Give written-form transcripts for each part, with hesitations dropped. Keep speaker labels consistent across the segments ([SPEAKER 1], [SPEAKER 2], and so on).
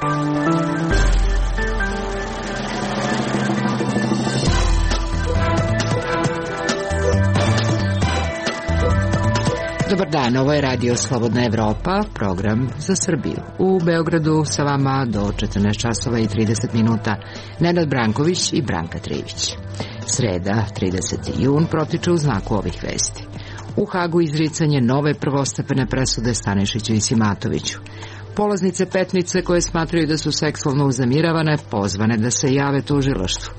[SPEAKER 1] Dobar dan, ovo je Radio Slobodna Evropa, program za Srbiju. U Beogradu sa vama do 14 časova i 30 minuta Nenad Branković i Branka Trivić. Sreda, 30. jun, protiče u znaku ovih vesti. U Hagu izricanje nove prvostepene presude Stanišiću i Simatoviću. Polaznice Petnice koje smatraju da su seksualno uznemiravane pozvane da se jave tužilaštvu.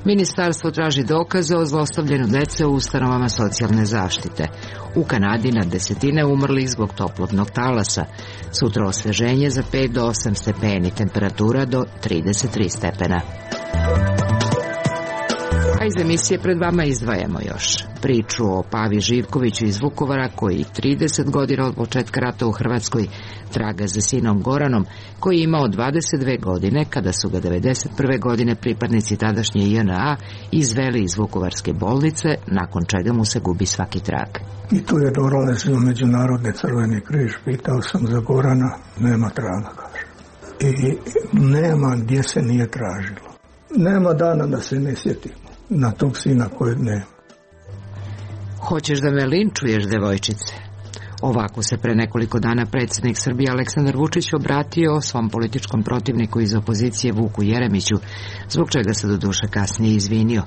[SPEAKER 1] Ministarstvo traži dokaze o zlostavljanju dece u ustanovama socijalne zaštite. U Kanadi na desetine umrlih zbog toplotnog talasa. Sutra osveženje za 5 do 8 stepeni, temperatura do 33 stepena. A iz emisije pred vama izdvajamo još priču o Pavi Živkoviću iz Vukovara koji 30 godina od početka rata u Hrvatskoj traga za sinom Goranom koji je imao 22 godine kada su ga 91. godine pripadnici tadašnje JNA izveli iz Vukovarske bolnice, nakon čega mu se gubi svaki trag.
[SPEAKER 2] I tu je dolazio Međunarodni Crveni križ, pitao sam za Gorana, nema traga, kaže. I nema gdje se nije tražilo. Nema dana da se ne sjetimo na tog sina kojeg nema.
[SPEAKER 1] Hoćeš da me linčuješ, devojčice? Ovako se pre nekoliko dana predsjednik Srbije Aleksandar Vučić obratio svom političkom protivniku iz opozicije Vuku Jeremiću, zbog čega se doduše kasnije izvinio.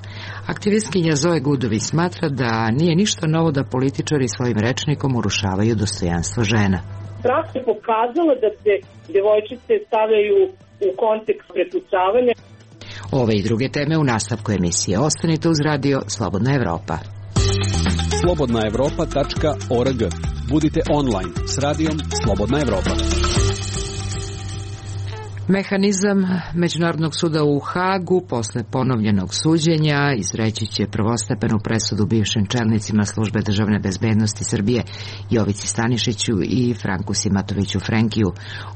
[SPEAKER 1] Aktivistkinja Zoe Gudović smatra da nije ništa novo da političari svojim rečnikom urušavaju dostojanstvo žena.
[SPEAKER 3] Praksa je pokazala da se devojčice stavljaju u kontekst prepucavanja.
[SPEAKER 1] Ove i druge teme u nastavku emisije. Ostanite uz Radio Slobodna Evropa.
[SPEAKER 4] slobodnaevropa.org. Budite online s radijom Slobodna Evropa.
[SPEAKER 1] Mehanizam Međunarodnog suda u Hagu posle ponovljenog suđenja izreći će prvostepenu presudu bivšim čelnicima Službe državne bezbednosti Srbije Jovici Stanišiću i Franku Simatoviću Frenkiju,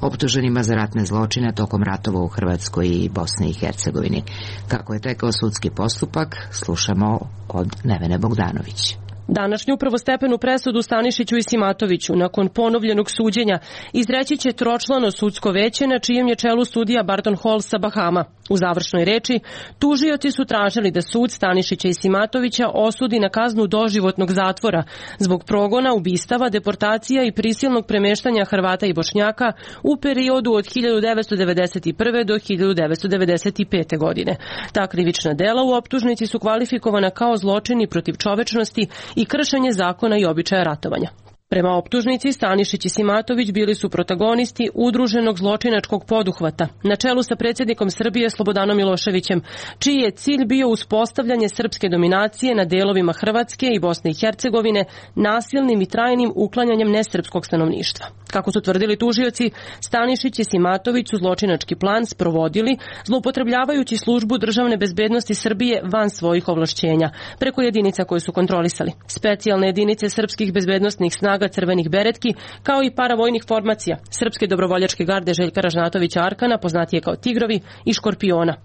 [SPEAKER 1] optuženima za ratne zločine tokom ratova u Hrvatskoj i Bosni i Hercegovini. Kako je tekao sudski postupak, slušamo od Nevene Bogdanović.
[SPEAKER 5] Današnju prvostepenu presudu Stanišiću i Simatoviću nakon ponovljenog suđenja izreći će tročlano sudsko veće na čijem je čelu sudija Barton Hall sa Bahama. U završnoj reči tužioci su tražili da sud Stanišića i Simatovića osudi na kaznu doživotnog zatvora zbog progona, ubistava, deportacija i prisilnog premeštanja Hrvata i Bošnjaka u periodu od 1991. do 1995. godine. Ta krivična dela u optužnici su kvalifikovana kao zločini protiv čovečnosti i kršenje zakona i običaja ratovanja. Prema optužnici, Stanišić i Simatović bili su protagonisti udruženog zločinačkog poduhvata, na čelu sa predsjednikom Srbije Slobodanom Miloševićem, čiji je cilj bio uspostavljanje srpske dominacije na delovima Hrvatske i Bosne i Hercegovine nasilnim i trajnim uklanjanjem nesrpskog stanovništva. Kako su tvrdili tužioci, Stanišić i Simatović su zločinački plan sprovodili zloupotrebljavajući službu državne bezbednosti Srbije van svojih ovlašćenja, preko jedinica koje su kontrolisali. Specijalne jedinice srpskih bezbednosnih snaga crvenih beretki, kao i paravojnih formacija Srpske dobrovoljačke garde Željka Ražnatovića Arkana, poznatije kao Tigrovi, i Škorpiona.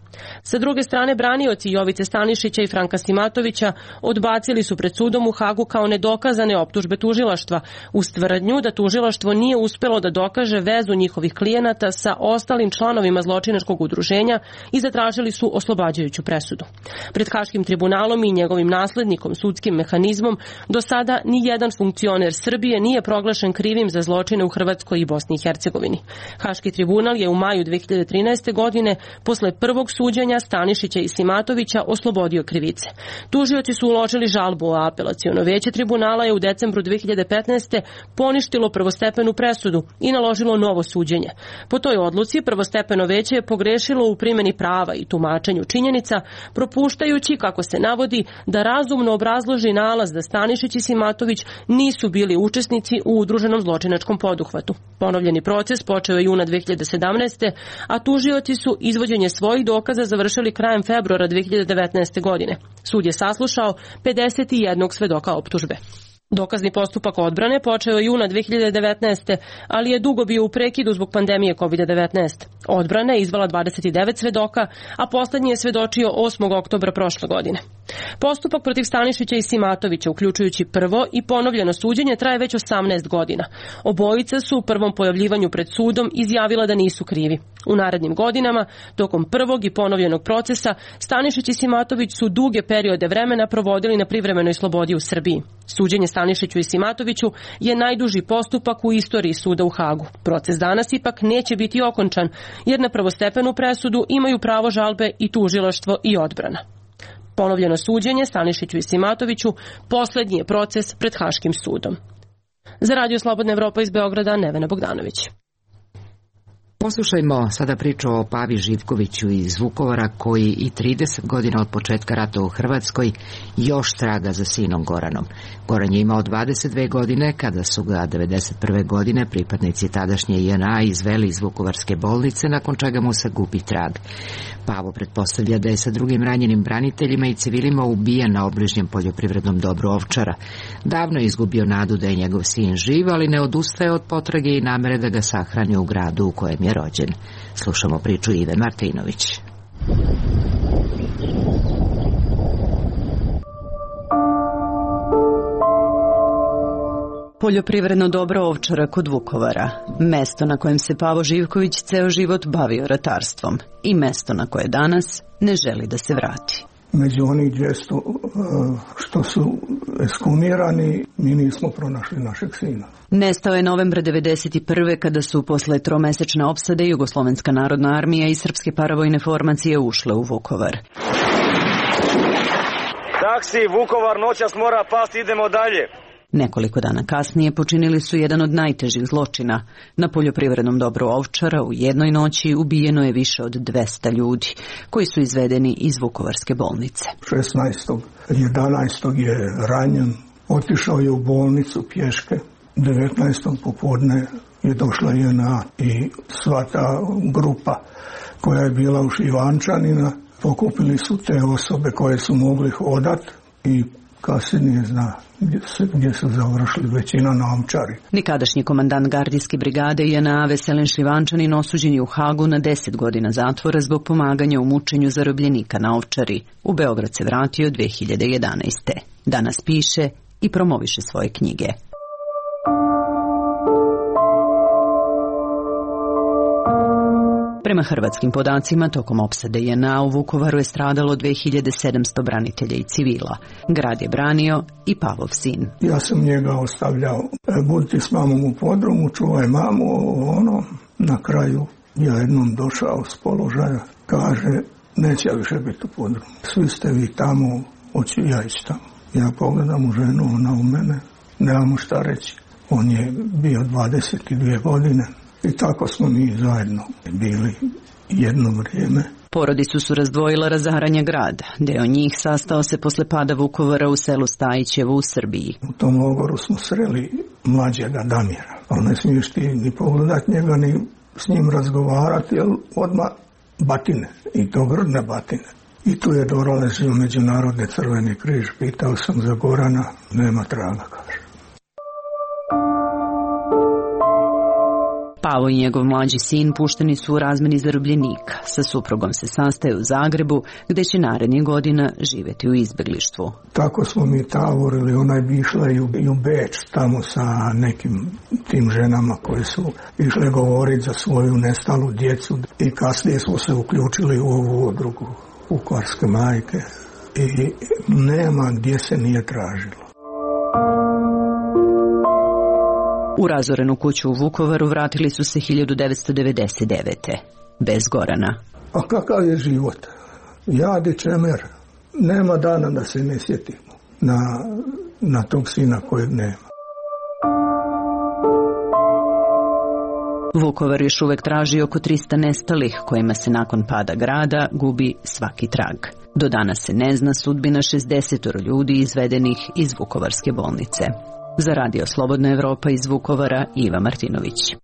[SPEAKER 5] Sa druge strane, branioci Jovice Stanišića i Franka Simatovića odbacili su pred sudom u Hagu kao nedokazane optužbe tužilaštva, uz tvrdnju da tužilaštvo nije uspelo da dokaže vezu njihovih klijenata sa ostalim članovima zločinačkog udruženja i zatražili su oslobađajuću presudu. Pred Haškim tribunalom i njegovim naslednikom, sudskim mehanizmom, do sada ni jedan funkcioner Srbije nije proglašen krivim za zločine u Hrvatskoj i Bosni i Hercegovini. Haški tribunal je u maju 2013. godine, posle prvog suđenja Stanišića i Simatovića, oslobodio krivice. Tužioci su uložili žalbu, a apelaciono veće tribunala je u decembru 2015. poništilo prvostepenu presudu i naložilo novo suđenje. Po toj odluci prvostepeno veće je pogrešilo u primjeni prava i tumačenju činjenica, propuštajući, kako se navodi, da razumno obrazloži nalaz da Stanišić i Simatović nisu bili učesnici u udruženom zločinačkom poduhvatu. Ponovljeni proces počeo je juna 2017. a tužioci su izvođenje svojih dokaza završili krajem februara 2019. godine. Sud je saslušao 51 svedoka optužbe. Dokazni postupak odbrane počeo je juna 2019. ali je dugo bio u prekidu zbog pandemije COVID-19. Odbrana je izvala 29 svedoka, a poslednji je svedočio 8. oktobra prošle godine. Postupak protiv Stanišića i Simatovića, uključujući prvo i ponovljeno suđenje, traje već 18 godina. Obojica su u prvom pojavljivanju pred sudom izjavila da nisu krivi. U narednim godinama, tokom prvog i ponovljenog procesa, Stanišić i Simatović su duge periode vremena provodili na privremenoj slobodi u Srbiji. Suđenje Stanišiću i Simatoviću je najduži postupak u istoriji suda u Hagu. Proces danas ipak neće biti okončan, jer na prvostepenu presudu imaju pravo žalbe i tužilaštvo i odbrana. Ponovljeno suđenje Stanišiću i Simatoviću poslednji je proces pred Haškim sudom. Za Radio Slobodna Evropa iz Beograda, Nevena Bogdanović.
[SPEAKER 1] Poslušajmo sada priču o Pavi Živkoviću iz Vukovara, koji i 30 godina od početka rata u Hrvatskoj još traga za sinom Goranom. Goran je imao 22 godine kada su ga 1991. godine pripadnici tadašnje JNA izveli iz Vukovarske bolnice, nakon čega mu se gubi trag. Pavo pretpostavlja da je sa drugim ranjenim braniteljima i civilima ubijen na obližnjem poljoprivrednom dobru Ovčara. Davno je izgubio nadu da je njegov sin živ, ali ne odustaje od potrage i namere da ga sahrani u gradu u kojem je rođen. Slušamo priču Ive Martinović.
[SPEAKER 6] Poljoprivredno dobro Ovčara kod Vukovara, mesto na kojem se Pavo Živković ceo život bavio ratarstvom i mesto na koje danas ne želi da se vrati.
[SPEAKER 2] Među onih 200 što su ekshumirani, mi nismo pronašli našeg sina.
[SPEAKER 6] Nestao je novembra 1991. kada su posle tromesečne opsade Jugoslovenska narodna armija i srpske paravojne formacije ušle u Vukovar.
[SPEAKER 7] Taksi, Vukovar, noćas mora pasti, idemo dalje.
[SPEAKER 6] Nekoliko dana kasnije počinili su jedan od najtežih zločina. Na poljoprivrednom dobru Ovčara u jednoj noći ubijeno je više od 200 ljudi, koji su izvedeni iz Vukovarske bolnice.
[SPEAKER 2] 16.11. je ranjen, otišao je u bolnicu pješke, 19. popodne je došla JNA i sva ta grupa koja je bila u Ivančanina, pokupili su te osobe koje su mogli hodat i kasnije zna gdje su završili, većina na Ovčari.
[SPEAKER 6] Nikadašnji komandant gardijske brigade JNA Veselin Šljivančanin osuđen je u Hagu na 10 godina zatvora zbog pomaganja u mučenju zarobljenika na Ovčari. U Beograd se vratio 2011. Danas piše i promoviše svoje knjige. Prema hrvatskim podacima, tokom opsade JNA u Vukovaru je stradalo 2700 branitelja i civila. Grad je branio i Pavov sin.
[SPEAKER 2] Ja sam njega ostavljao, budite s mamom u podrumu, čuvaj mamu, na kraju ja jednom došao s položaja, kaže, neće više biti u podrumu. Svi ste vi tamo, hoću ja ići tamo. Ja pogledam u ženu, ona u mene, nemamo šta reći. On je bio 22 godine. I tako smo mi zajedno bili jedno vrijeme.
[SPEAKER 6] Porodicu su razdvojila razaranje grada. Deo njih sastao se posle pada Vukovara u selu Stajićevo u Srbiji.
[SPEAKER 2] U tom logoru smo sreli mlađega Damira. Ali ne smiješ ti ni pogledat njega, ni s njim razgovarati, jer odmah batine. I to grdne batine. I tu je dolazio Međunarodni Crveni križ. Pitao sam za Gorana, nema traga, kaže.
[SPEAKER 6] Pavo i njegov mlađi sin pušteni su u razmeni zarobljenika. Sa suprugom se sastaju u Zagrebu, gde će narednih godina živjeti u izbeglištvu.
[SPEAKER 2] Tako smo mi tavorili, ona je išla i u Beč tamo sa nekim tim ženama koje su išle govoriti za svoju nestalu djecu. I kasnije smo se uključili u ovu udrugu Vukovarske majke i nema gdje se nije tražilo.
[SPEAKER 6] U razorenu kuću u Vukovaru vratili su se 1999. Bez Gorana.
[SPEAKER 2] A kakav je život? Jadi čemer. Nema dana da se ne sjetimo na tog sina kojeg nema.
[SPEAKER 6] Vukovar još uvek traži oko 300 nestalih, kojima se nakon pada grada gubi svaki trag. Do danas se ne zna sudbina 60 ljudi izvedenih iz Vukovarske bolnice. Za Radio Slobodna Evropa iz Vukovara, Iva Martinović.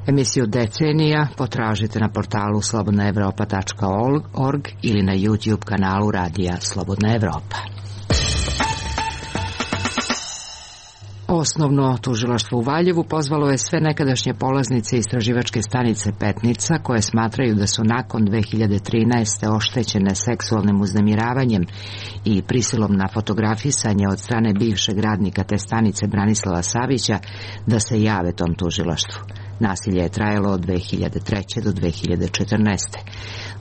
[SPEAKER 1] Emisiju Decenija potražite na portalu slobodnaevropa.org ili na YouTube kanalu Radija Slobodna Evropa. Osnovno tužilaštvo u Valjevu pozvalo je sve nekadašnje polaznice istraživačke stanice Petnica koje smatraju da su nakon 2013. oštećene seksualnim uznemiravanjem i prisilom na fotografisanje od strane bivšeg radnika te stanice Branislava Savića da se jave tom tužilaštvu. Nasilje je trajalo od 2003. do 2014.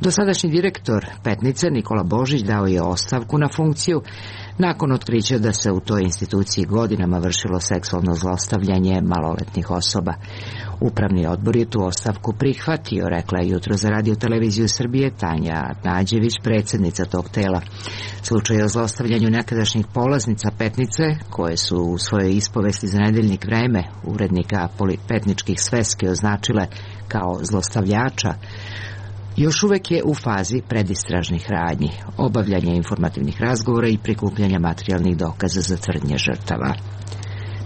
[SPEAKER 1] Dosadašnji direktor Petnice Nikola Božić dao je ostavku na funkciju nakon otkrića da se u toj instituciji godinama vršilo seksualno zlostavljanje maloletnih osoba. Upravni odbor je tu ostavku prihvatio, rekla je jutro za Radio Televiziju Srbije Tanja Nađević, predsjednica tog tela. Slučaj o zlostavljanju nekadašnjih polaznica Petnice, koje su u svojoj ispovesti za nedeljnik Vreme urednika petničkih sveski označile kao zlostavljača, još uvek je u fazi predistražnih radnji, obavljanja informativnih razgovora i prikupljanja materijalnih dokaza za tvrdnje žrtava.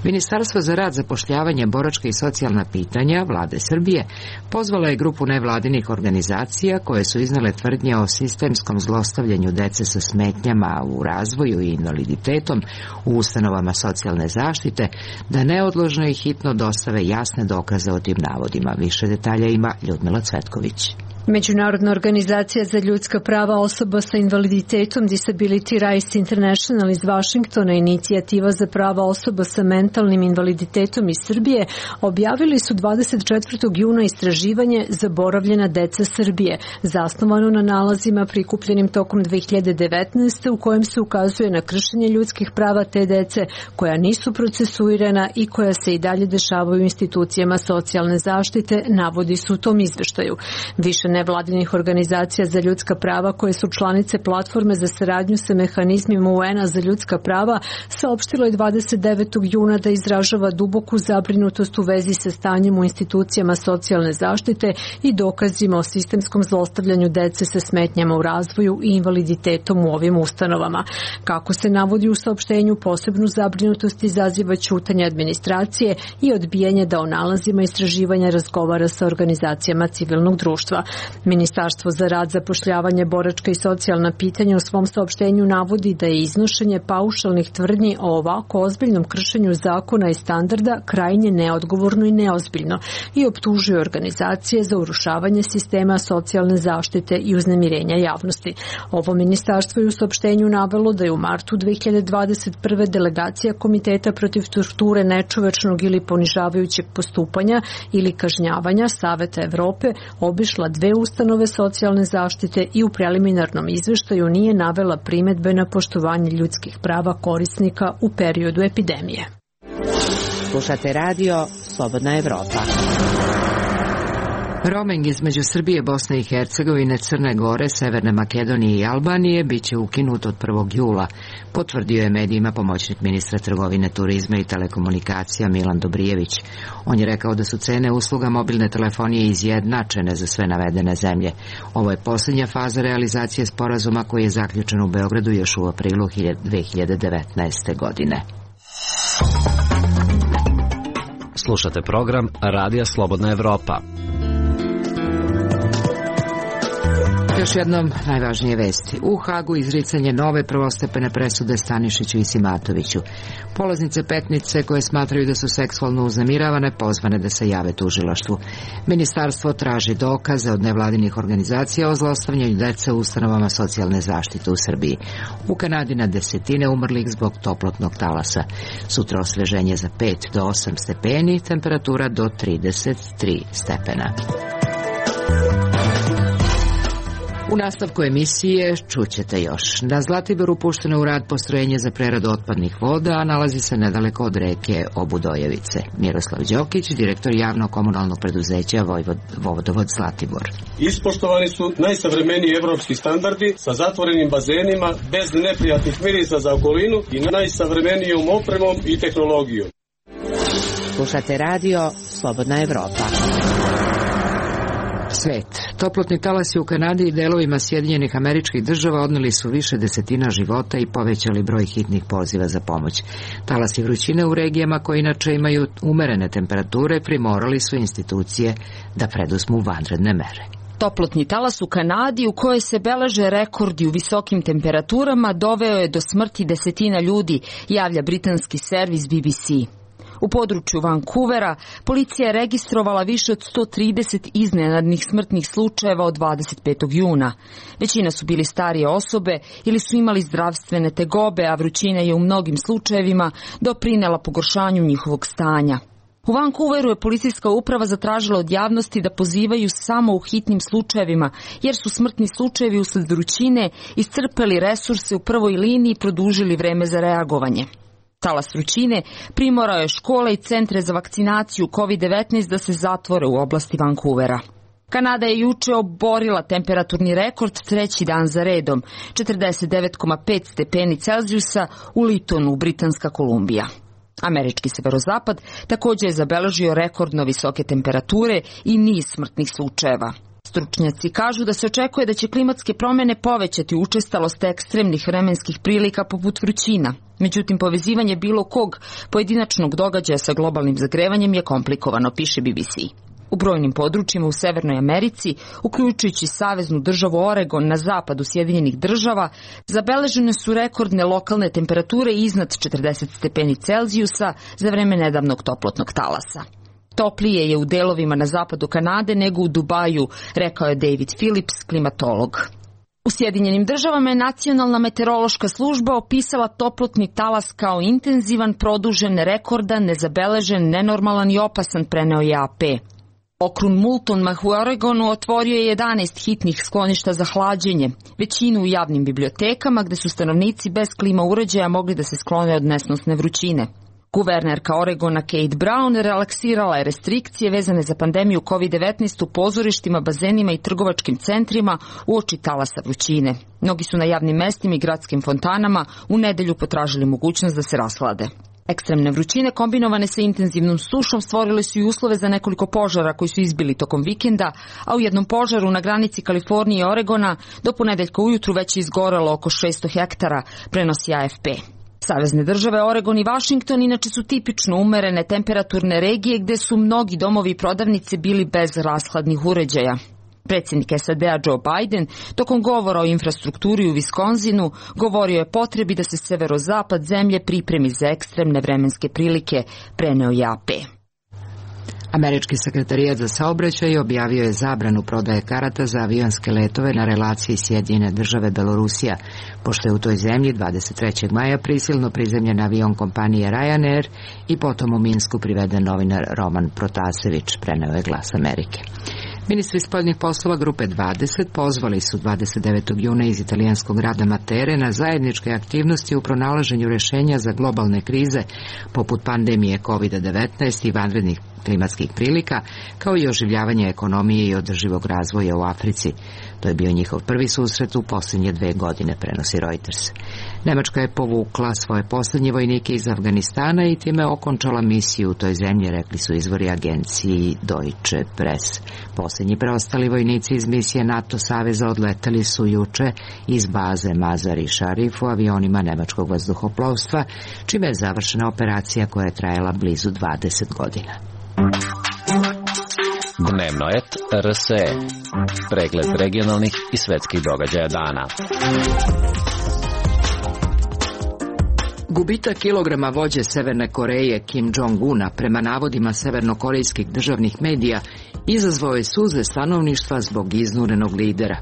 [SPEAKER 1] Ministarstvo za rad, zapošljavanje, boračka i socijalna pitanja Vlade Srbije pozvala je grupu nevladinih organizacija koje su iznale tvrdnje o sistemskom zlostavljanju dece sa smetnjama u razvoju i invaliditetom u ustanovama socijalne zaštite da neodložno i hitno dostave jasne dokaze o tim navodima. Više detalja ima Ljudmila Cvetković.
[SPEAKER 8] Međunarodna organizacija za ljudska prava osoba sa invaliditetom Disability Rights International iz Vašingtona i Inicijativa za prava osoba sa mentalnim invaliditetom iz Srbije objavili su 24. juna istraživanje Zaboravljena deca Srbije, zasnovano na nalazima prikupljenim tokom 2019. u kojem se ukazuje na kršenje ljudskih prava te dece koja nisu procesuirana i koja se i dalje dešavaju u institucijama socijalne zaštite, navodi su u tom izveštaju. Više nevladinih organizacija za ljudska prava koje su članice platforme za saradnju sa mehanizmima UN-a za ljudska prava saopštilo je 29. juna da izražava duboku zabrinutost u vezi sa stanjem u institucijama socijalne zaštite i dokazima o sistemskom zlostavljanju dece sa smetnjama u razvoju i invaliditetom u ovim ustanovama. Kako se navodi u saopštenju, posebnu zabrinutost izaziva ćutanje administracije i odbijanje da o nalazima istraživanja razgovara sa organizacijama civilnog društva. Ministarstvo za rad, zapošljavanje, boračka i socijalna pitanja u svom saopštenju navodi da je iznošenje paušalnih tvrdnji o ovako ozbiljnom kršenju zakona i standarda krajnje neodgovorno i neozbiljno i optužuje organizacije za urušavanje sistema socijalne zaštite i uznemirenja javnosti. Ovo ministarstvo je u saopštenju navelo da je u martu 2021. delegacija Komiteta protiv torture, nečovečnog ili ponižavajućeg postupanja ili kažnjavanja Saveta Evrope obišla 2 ustanove socijalne zaštite i u preliminarnom izveštaju nije navela primedbe na poštovanje ljudskih prava korisnika u periodu epidemije.
[SPEAKER 1] Slušate radio Slobodna Evropa. Roaming između Srbije, Bosne i Hercegovine, Crne Gore, Severne Makedonije i Albanije biće ukinut od 1. jula, potvrdio je medijima pomoćnik ministra trgovine, turizma i telekomunikacija Milan Dobrijević. On je rekao da su cene usluga mobilne telefonije izjednačene za sve navedene zemlje. Ovo je posljednja faza realizacije sporazuma koji je zaključen u Beogradu još u aprilu 2019. godine.
[SPEAKER 4] Slušate program Radija Slobodna Evropa.
[SPEAKER 1] Još jednom najvažnije vesti. U Hagu izricanje nove prvostepene presude Stanišiću i Simatoviću. Polaznice Petnice koje smatraju da su seksualno uznemiravane pozvane da se jave tužilaštvu. Ministarstvo traži dokaze od nevladinih organizacija o zlostavljanju dece u ustanovama socijalne zaštite u Srbiji. U Kanadi na desetine umrlih zbog toplotnog talasa. Sutra osveženje za 5 do 8 stepeni, temperatura do 33 stepena. U nastavku emisije čućete još. Na Zlatiboru pušteno u rad postrojenje za preradu otpadnih voda, a nalazi se nedaleko od reke Obudojevice. Miroslav Đokić, direktor javnog komunalnog preduzeća Vodovod Zlatibor.
[SPEAKER 9] Ispoštovani su najsavremeniji evropski standardi sa zatvorenim bazenima, bez neprijatnih mirisa za okolinu i najsavremenijom opremom i tehnologijom.
[SPEAKER 1] Slušate radio Slobodna Evropa. Svet. Toplotni talasi u Kanadi i delovima Sjedinjenih Američkih Država odneli su više desetina života i povećali broj hitnih poziva za pomoć. Talasi vrućine u regijama koje inače imaju umerene temperature primorali su institucije da preduzmu vanredne mere.
[SPEAKER 10] Toplotni talas u Kanadi u kojoj se beleže rekordi u visokim temperaturama doveo je do smrti desetina ljudi, javlja britanski servis BBC. U području Vancouvera policija je registrovala više od 130 iznenadnih smrtnih slučajeva od 25. juna. Većina su bili starije osobe ili su imali zdravstvene tegobe, a vrućina je u mnogim slučajevima doprinela pogoršanju njihovog stanja. U Vancouveru je policijska uprava zatražila od javnosti da pozivaju samo u hitnim slučajevima, jer su smrtni slučajevi usled vrućine iscrpeli resurse u prvoj liniji i produžili vreme za reagovanje. Talas vrućine primorao je škole i centre za vakcinaciju COVID-19 da se zatvore u oblasti Vancouvera. Kanada je juče oborila temperaturni rekord treći dan za redom, 49,5 stepeni Celzijusa u Litonu, Britanska Kolumbija. Američki severozapad također je zabeležio rekordno visoke temperature i niz smrtnih slučajeva. Stručnjaci kažu da se očekuje da će klimatske promjene povećati učestalost ekstremnih vremenskih prilika poput vrućina. Međutim, povezivanje bilo kog pojedinačnog događaja sa globalnim zagrevanjem je komplikovano, piše BBC. U brojnim područjima u Severnoj Americi, uključujući saveznu državu Oregon na zapadu Sjedinjenih država, zabeležene su rekordne lokalne temperature iznad 40 stepeni Celzijusa za vreme nedavnog toplotnog talasa. Toplije je u delovima na zapadu Kanade nego u Dubaju, rekao je David Phillips, klimatolog. U Sjedinjenim državama je Nacionalna meteorološka služba opisala toplotni talas kao intenzivan, produžen, rekordan, nezabeležen, nenormalan i opasan, preneo je AP. Okrug Moultonmah u Oregonu otvorio je 11 hitnih skloništa za hlađenje, većinu u javnim bibliotekama gde su stanovnici bez klima uređaja mogli da se sklone od nesnosne vrućine. Guvernerka Oregona Kate Brown relaksirala je restrikcije vezane za pandemiju COVID-19 u pozorištima, bazenima i trgovačkim centrima uoči talasa vrućine. Mnogi su na javnim mestima i gradskim fontanama u nedelju potražili mogućnost da se rashlade. Ekstremne vrućine kombinovane sa intenzivnom sušom stvorile su i uslove za nekoliko požara koji su izbili tokom vikenda, a u jednom požaru na granici Kalifornije i Oregona do ponedeljka ujutru već je izgorelo oko 600 hektara, prenosi AFP. Savezne države Oregon i Washington inače su tipično umerene temperaturne regije gde su mnogi domovi i prodavnice bili bez rashladnih uređaja. Predsjednik SAD-a Joe Biden tokom govora o infrastrukturi u Wisconsinu govorio je potrebi da se severozapad zemlje pripremi za ekstremne vremenske prilike, preneo je AP.
[SPEAKER 1] Američki sekretarijat za saobraćaj objavio je zabranu prodaje karata za avionske letove na relaciji Sjedinjene države Belorusija, pošto je u toj zemlji 23. maja prisilno prizemljen avion kompanije Ryanair i potom u Minsku priveden novinar Roman Protasević, preneo je Glas Amerike. Ministri spoljnih poslova Grupe 20 pozvali su 29. juna iz italijanskog grada Matere na zajedničke aktivnosti u pronalaženju rješenja za globalne krize poput pandemije COVID-19 i vanrednih klimatskih prilika, kao i oživljavanje ekonomije i održivog razvoja u Africi. To je bio njihov prvi susret u posljednje 2 godine, prenosi Reuters. Nemačka je povukla svoje posljednje vojnike iz Afganistana i time okončala misiju u toj zemlji, rekli su izvori agenciji Deutsche Press. Posljednji preostali vojnici iz misije NATO saveza odletali su juče iz baze Mazar-i Sharif u avionima nemačkog vazduhoplovstva, čime je završena operacija koja je trajala blizu 20 godina.
[SPEAKER 11] Dnevno et RSE. Pregled regionalnih i svetskih događaja dana.
[SPEAKER 1] Gubitak kilograma vođe Severne Koreje Kim Jong-una prema navodima severnokorejskih državnih medija izazvao je suze stanovništva zbog iznurenog lidera.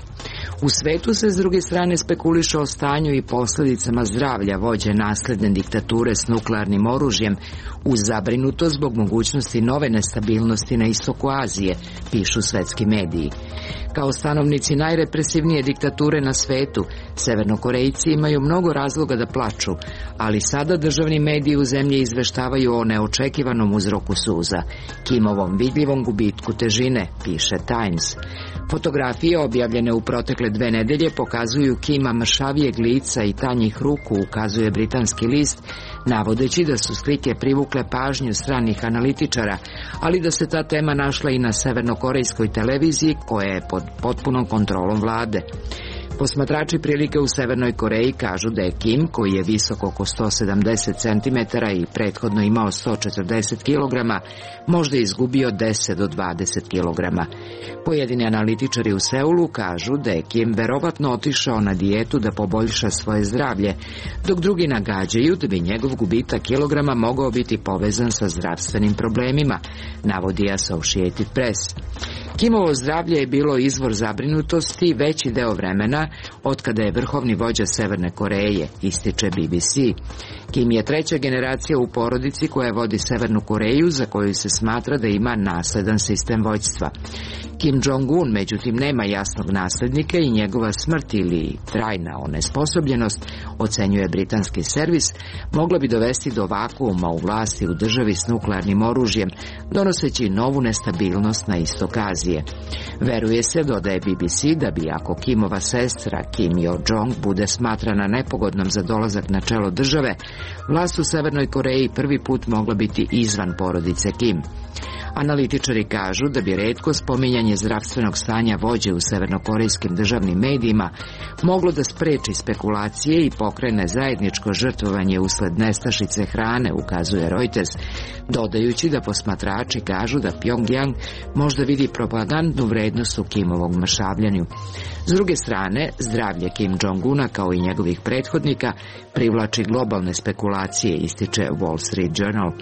[SPEAKER 1] U svetu se s druge strane spekuliše o stanju i posljedicama zdravlja vođe nasledne diktature s nuklearnim oružjem, uz zabrinutost zbog mogućnosti nove nestabilnosti na istoku Azije, pišu svetski mediji. Kao stanovnici najrepresivnije diktature na svetu, Severnokorejci imaju mnogo razloga da plaču, ali sada državni mediji u zemlji izveštavaju o neočekivanom uzroku suza, Kimovom vidljivom gubitku težine, piše Times. Fotografije objavljene u protekle 2 nedelje pokazuju Kima mršavijeg lica i tanjih ruku, ukazuje britanski list, navodeći da su slike privukle pažnju stranih analitičara, ali da se ta tema našla i na severnokorejskoj televiziji koja je pod potpunom kontrolom vlade. Posmatrači prilike u Severnoj Koreji kažu da je Kim, koji je visok oko 170 cm i prethodno imao 140 kg, možda izgubio 10 do 20 kg. Pojedini analitičari u Seulu kažu da je Kim verovatno otišao na dijetu da poboljša svoje zdravlje, dok drugi nagađaju da bi njegov gubitak kilograma mogao biti povezan sa zdravstvenim problemima, navodi Associated Press. Kimovo zdravlje je bilo izvor zabrinutosti veći deo vremena otkada je vrhovni vođa Severne Koreje, ističe BBC. Kim je treća generacija u porodici koja vodi Severnu Koreju, za koju se smatra da ima nasledan sistem vođstva. Kim Jong-un, međutim, nema jasnog naslednika i njegova smrt ili trajna onesposobljenost, ocenjuje britanski servis, mogla bi dovesti do vakuuma u vlasti u državi s nuklearnim oružjem, donoseći novu nestabilnost na istok Azije. Veruje se, dodaje BBC, da bi ako Kimova sestra Kim Yo-jong bude smatrana nepogodnom za dolazak na čelo države, vlast u Severnoj Koreji prvi put mogla biti izvan porodice Kim. Analitičari kažu da bi retko spominjanje zdravstvenog stanja vođe u severnokorejskim državnim medijima moglo da spreči spekulacije i pokrene zajedničko žrtvovanje usled nestašice hrane, ukazuje Reuters, dodajući da posmatrači kažu da Pyongyang možda vidi propagandnu vrednost u Kimovom mršavljanju. S druge strane, zdravlje Kim Jong-una kao i njegovih prethodnika privlači globalne spekulacije, ističe Wall Street Journal.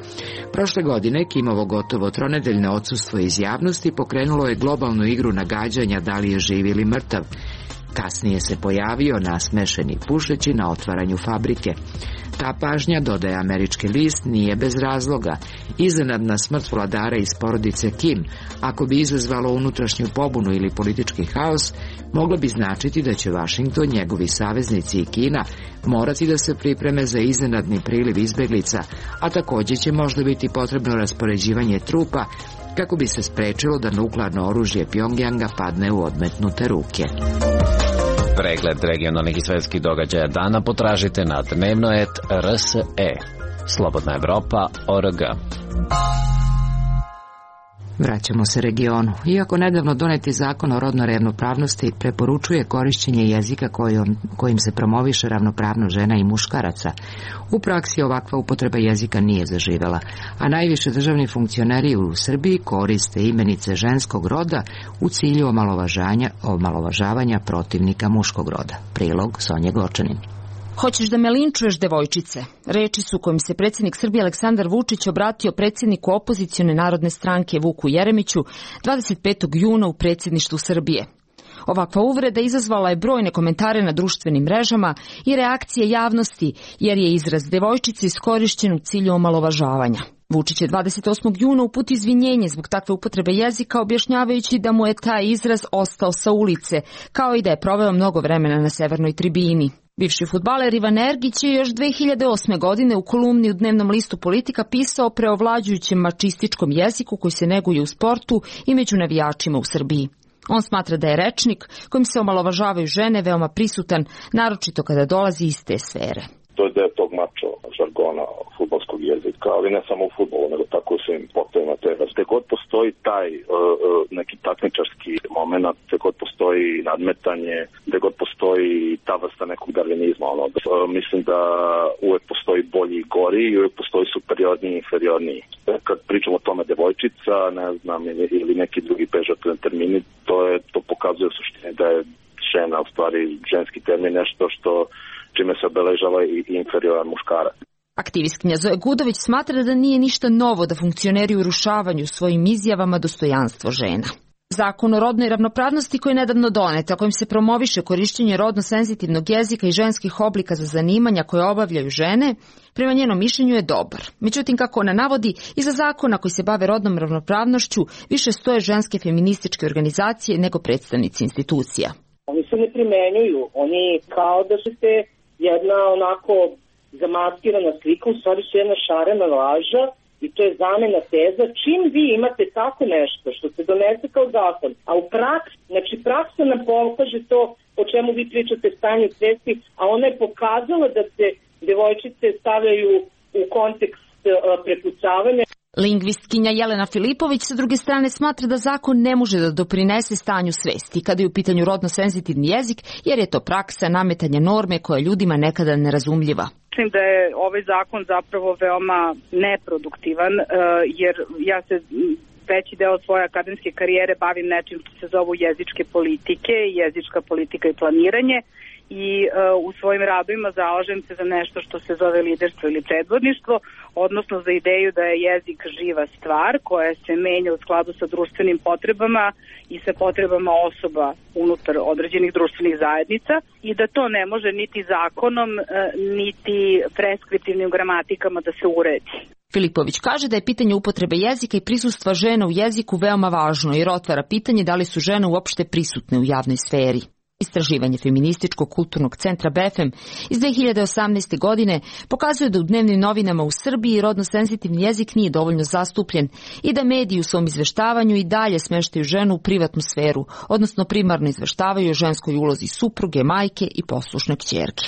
[SPEAKER 1] Prošle godine Kimovo gotovo tronedeljno odsustvo iz javnosti pokrenulo je globalnu igru nagađanja da li je živ ili mrtav. Kasnije se pojavio nasmešeni pušeći na otvaranju fabrike. Ta pažnja, dodaje američki list, nije bez razloga. Iznenadna smrt vladara iz porodice Kim, ako bi izazvalo unutrašnju pobunu ili politički haos, moglo bi značiti da će Washington, njegovi saveznici i Kina morati da se pripreme za iznenadni priliv izbeglica, a također će možda biti potrebno raspoređivanje trupa kako bi se sprečilo da nuklearno oružje Pyongyanga padne u odmetnute ruke.
[SPEAKER 11] Pregled regionalnih i svetskih događaja dana potražite na dnevnoet.rse. Slobodna Evropa.org.
[SPEAKER 1] Vraćamo se regionu. Iako nedavno doneti zakon o rodnoj ravnopravnosti preporučuje korišćenje jezika kojim se promoviše ravnopravnost žena i muškaraca, u praksi ovakva upotreba jezika nije zaživela, a najviše državni funkcioneri u Srbiji koriste imenice ženskog roda u cilju omalovažavanja protivnika muškog roda. Prilog Sonje Gočanin.
[SPEAKER 10] Hoćeš da me linčuješ, devojčice? Reči su kojim se predsjednik Srbije Aleksandar Vučić obratio predsjedniku opozicione narodne stranke Vuku Jeremiću 25. juna u predsjedništvu Srbije. Ovakva uvreda izazvala je brojne komentare na društvenim mrežama i reakcije javnosti, jer je izraz devojčice iskorišćen u cilju omalovažavanja. Vučić je 28. juna uputio izvinjenje zbog takve upotrebe jezika, objašnjavajući da mu je taj izraz ostao sa ulice, kao i da je proveo mnogo vremena na severnoj tribini. Bivši fudbaler Ivan Ergić je još 2008. godine u kolumni u dnevnom listu Politika pisao o preovlađujućem mačističkom jeziku koji se neguje u sportu i među navijačima u Srbiji. On smatra da je rečnik kojim se omalovažavaju žene veoma prisutan, naročito kada dolazi iz te sfere.
[SPEAKER 12] To je deo tog mačo žargona fudbalskog jezika, ali ne samo u fudbalu, nego tako u svim sportovima. Gde god postoji taj neki takmičarski moment, gde god postoji nadmetanje, gde god postoji ta vrsta nekog darvinizma, mislim da uvek postoji bolji i gori i uvek postoji superiorniji i inferiorniji. Kad pričamo o tome devojčica, ne znam, ili neki drugi pežorativni termini, to pokazuje u suštini da je žena, u stvari ženski termin, nešto što čime se obeležava i inferioran muškarac.
[SPEAKER 10] Aktivistkinja Zoja Gudović smatra da nije ništa novo da funkcioneri urušavaju svojim izjavama dostojanstvo žena. Zakon o rodnoj ravnopravnosti koji je nedavno donet, a kojim se promoviše korišćenje rodno senzitivnog jezika i ženskih oblika za zanimanja koje obavljaju žene, prema njenom mišljenju je dobar. Međutim, kako ona navodi, iza zakona koji se bave rodnom ravnopravnošću više stoje ženske feminističke organizacije nego predstavnici institucija.
[SPEAKER 3] Oni se ne primenjuju, oni kao da su se jedna onako zamaskirana slika, u stvari su jedna šarena laža i to je zamena teza. Čim vi imate tako nešto što se donese kao zakon, a u praksi, znači praksa nam pokaže to o čemu vi pričate stanju svesti, a ona je pokazala da se devojčice stavljaju u kontekst prepucavanja.
[SPEAKER 10] Lingvistkinja Jelena Filipović sa druge strane smatra da zakon ne može da doprinese stanju svesti kada je u pitanju rodno senzitivni jezik, jer je to praksa nametanja norme koja je ljudima nekada nerazumljiva.
[SPEAKER 13] Mislim da je ovaj zakon zapravo veoma neproduktivan, jer ja se veći deo svoje akademske karijere bavim nečim što se zovu jezičke politike, jezička politika i planiranje. I u svojim radovima zalažem se za nešto što se zove liderstvo ili predvodništvo, odnosno za ideju da je jezik živa stvar koja se menja u skladu sa društvenim potrebama i sa potrebama osoba unutar određenih društvenih zajednica i da to ne može niti zakonom, niti preskriptivnim gramatikama da se uredi.
[SPEAKER 10] Filipović kaže da je pitanje upotrebe jezika i prisustva žena u jeziku veoma važno jer otvara pitanje da li su žene uopšte prisutne u javnoj sferi. Istraživanje Feminističkog kulturnog centra BFM iz 2018. godine pokazuje da u dnevnim novinama u Srbiji rodno senzitivni jezik nije dovoljno zastupljen i da mediji u svom izveštavanju i dalje smeštaju ženu u privatnu sferu, odnosno primarno izveštavaju o ženskoj ulozi supruge, majke i poslušne kćerke.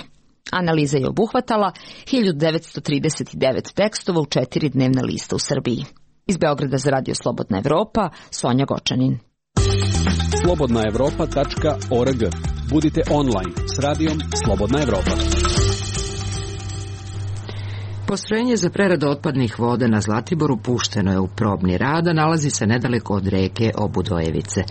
[SPEAKER 10] Analiza je obuhvatala 1939 tekstova u 4 dnevna lista u Srbiji. Iz Beograda za Radio Slobodna Evropa, Sonja Gočanin.
[SPEAKER 4] slobodnaevropa.org. Budite online s radijom Slobodna Evropa.
[SPEAKER 1] Postrojenje za preradu otpadnih voda na Zlatiboru pušteno je u probni rad, a nalazi se nedaleko od reke Obudojevice.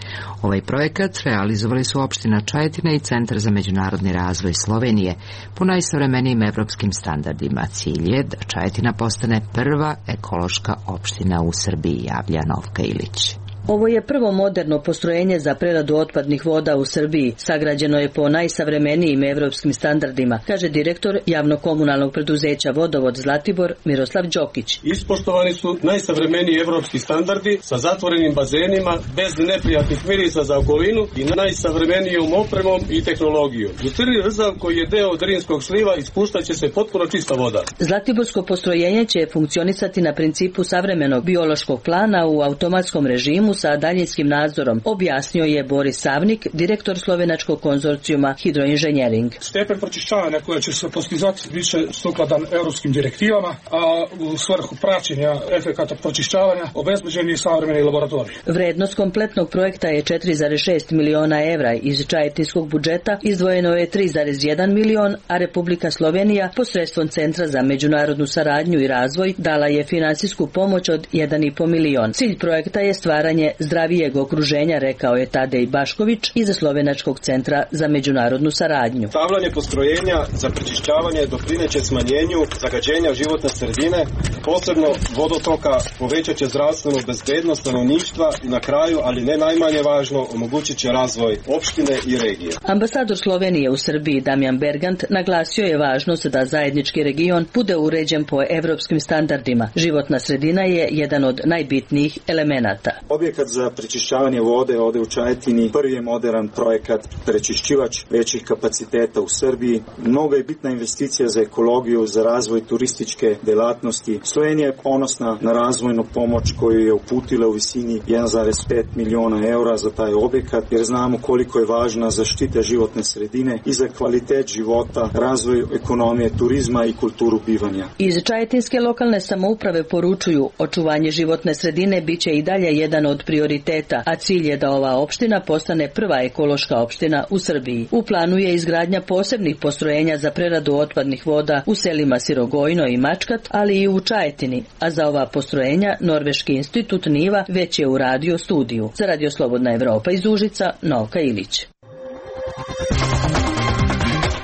[SPEAKER 1] Ovaj projekat realizovali su opština Čajetina i Centar za međunarodni razvoj Slovenije po najsavremenijim evropskim standardima. Cilj je da Čajetina postane prva ekološka opština u Srbiji, javlja Novka Ilić.
[SPEAKER 14] Ovo je prvo moderno postrojenje za preradu otpadnih voda u Srbiji. Sagrađeno je po najsavremenijim evropskim standardima, kaže direktor javno-komunalnog preduzeća Vodovod Zlatibor Miroslav Đokić.
[SPEAKER 9] Ispoštovani su najsavremeniji evropski standardi sa zatvorenim bazenima, bez neprijatnih mirisa za okolinu i najsavremenijom opremom i tehnologijom. U crni rzav koji je deo Drinskog sliva ispuštaće se potpuno čista voda.
[SPEAKER 14] Zlatiborsko postrojenje će funkcionisati na principu savremenog biološkog plana u automatskom režimu sa daljinskim nadzorom, objasnio je Boris Savnik, direktor slovenačkog konzorcijuma Hidroinženjering.
[SPEAKER 15] Stepen pročišćavanja koja će se postizati biće sukladan europskim direktivama, a u svrhu praćenja efekata pročišćavanja obezbeđen je savremeni laboratorij.
[SPEAKER 14] Vrednost kompletnog projekta je 4,6 miliona evra. Iz čajetinskog budžeta izdvojeno je 3,1 milion, a Republika Slovenija posredstvom Centra za međunarodnu saradnju i razvoj dala je finansijsku pomoć od 1,5 milion. Cilj projekta je stvaranje zdravijeg okruženja, rekao je Tadej Bašković iz Slovenačkog centra za međunarodnu saradnju.
[SPEAKER 16] Stavljanje postrojenja za prečišćavanje doprineće smanjenju zagađenja životne sredine, posebno vodotoka, povećat će zdravstvenu bezbednost stanovništva i na kraju, ali ne najmanje važno, omogućit će razvoj opštine i regije.
[SPEAKER 14] Ambasador Slovenije u Srbiji Damjan Bergant naglasio je važnost da zajednički region bude uređen po evropskim standardima. Životna sredina je jedan od najbitnijih elemenata.
[SPEAKER 17] Objekat za prečišćavanje vode ovde u Čajetini prvi je modern projekat, prečišćivač većih kapaciteta u Srbiji. Mnogo je bitna investicija za ekologiju, za razvoj turističke delatnosti. Slovenija je ponosna na razvojnu pomoć koju je uputila u visini 1,5 miliona eura za taj objekat, jer znamo koliko je važna zaštita životne sredine i za kvalitet života, razvoj ekonomije, turizma i kulturu bivanja.
[SPEAKER 14] Iz čajetinske lokalne samouprave poručuju, očuvanje životne sredine biće i dalje jedan od prioriteta, a cilj je da ova opština postane prva ekološka opština u Srbiji. U planu je izgradnja posebnih postrojenja za preradu otpadnih voda u selima Sirogojno i Mačkat, ali i u Čajetini, a za ova postrojenja Norveški institut Niva već je uradio studiju. Za Radio Slobodna Evropa iz Užica, Novka Ilić.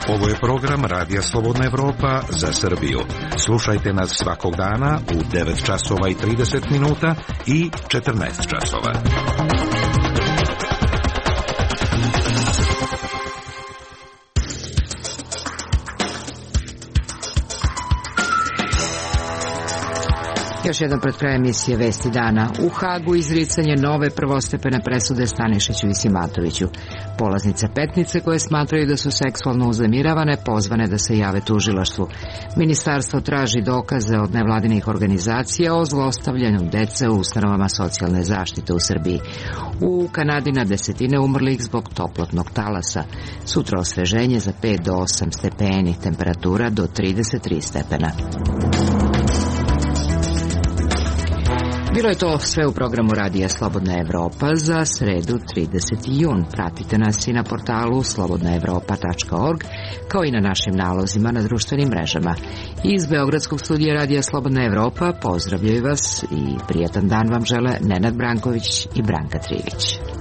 [SPEAKER 18] Ovo je program Radija Slobodna Evropa za Srbiju. Slušajte nas svakog dana u 9 časova i 30 minuta i 14 časova.
[SPEAKER 1] Još jedan pred kraj emisije Vesti dana. U Hagu izricanje nove prvostepene presude Stanišiću i Simatoviću. Polaznice Petnice koje smatraju da su seksualno uznemiravane pozvane da se jave tužilaštvu. Ministarstvo traži dokaze od nevladinih organizacija o zlostavljanju dece u ustanovama socijalne zaštite u Srbiji. U Kanadi na desetine umrlih zbog toplotnog talasa. Sutra osveženje za 5 do 8 stepeni, temperatura do 33 stepena. Bilo je to sve u programu Radija Slobodna Evropa za sredu 30. jun. Pratite nas i na portalu slobodnaevropa.org, kao i na našim nalozima na društvenim mrežama. Iz Beogradskog studija Radija Slobodna Evropa pozdravljaju vas i prijatan dan vam žele Nenad Branković i Branka Trivić.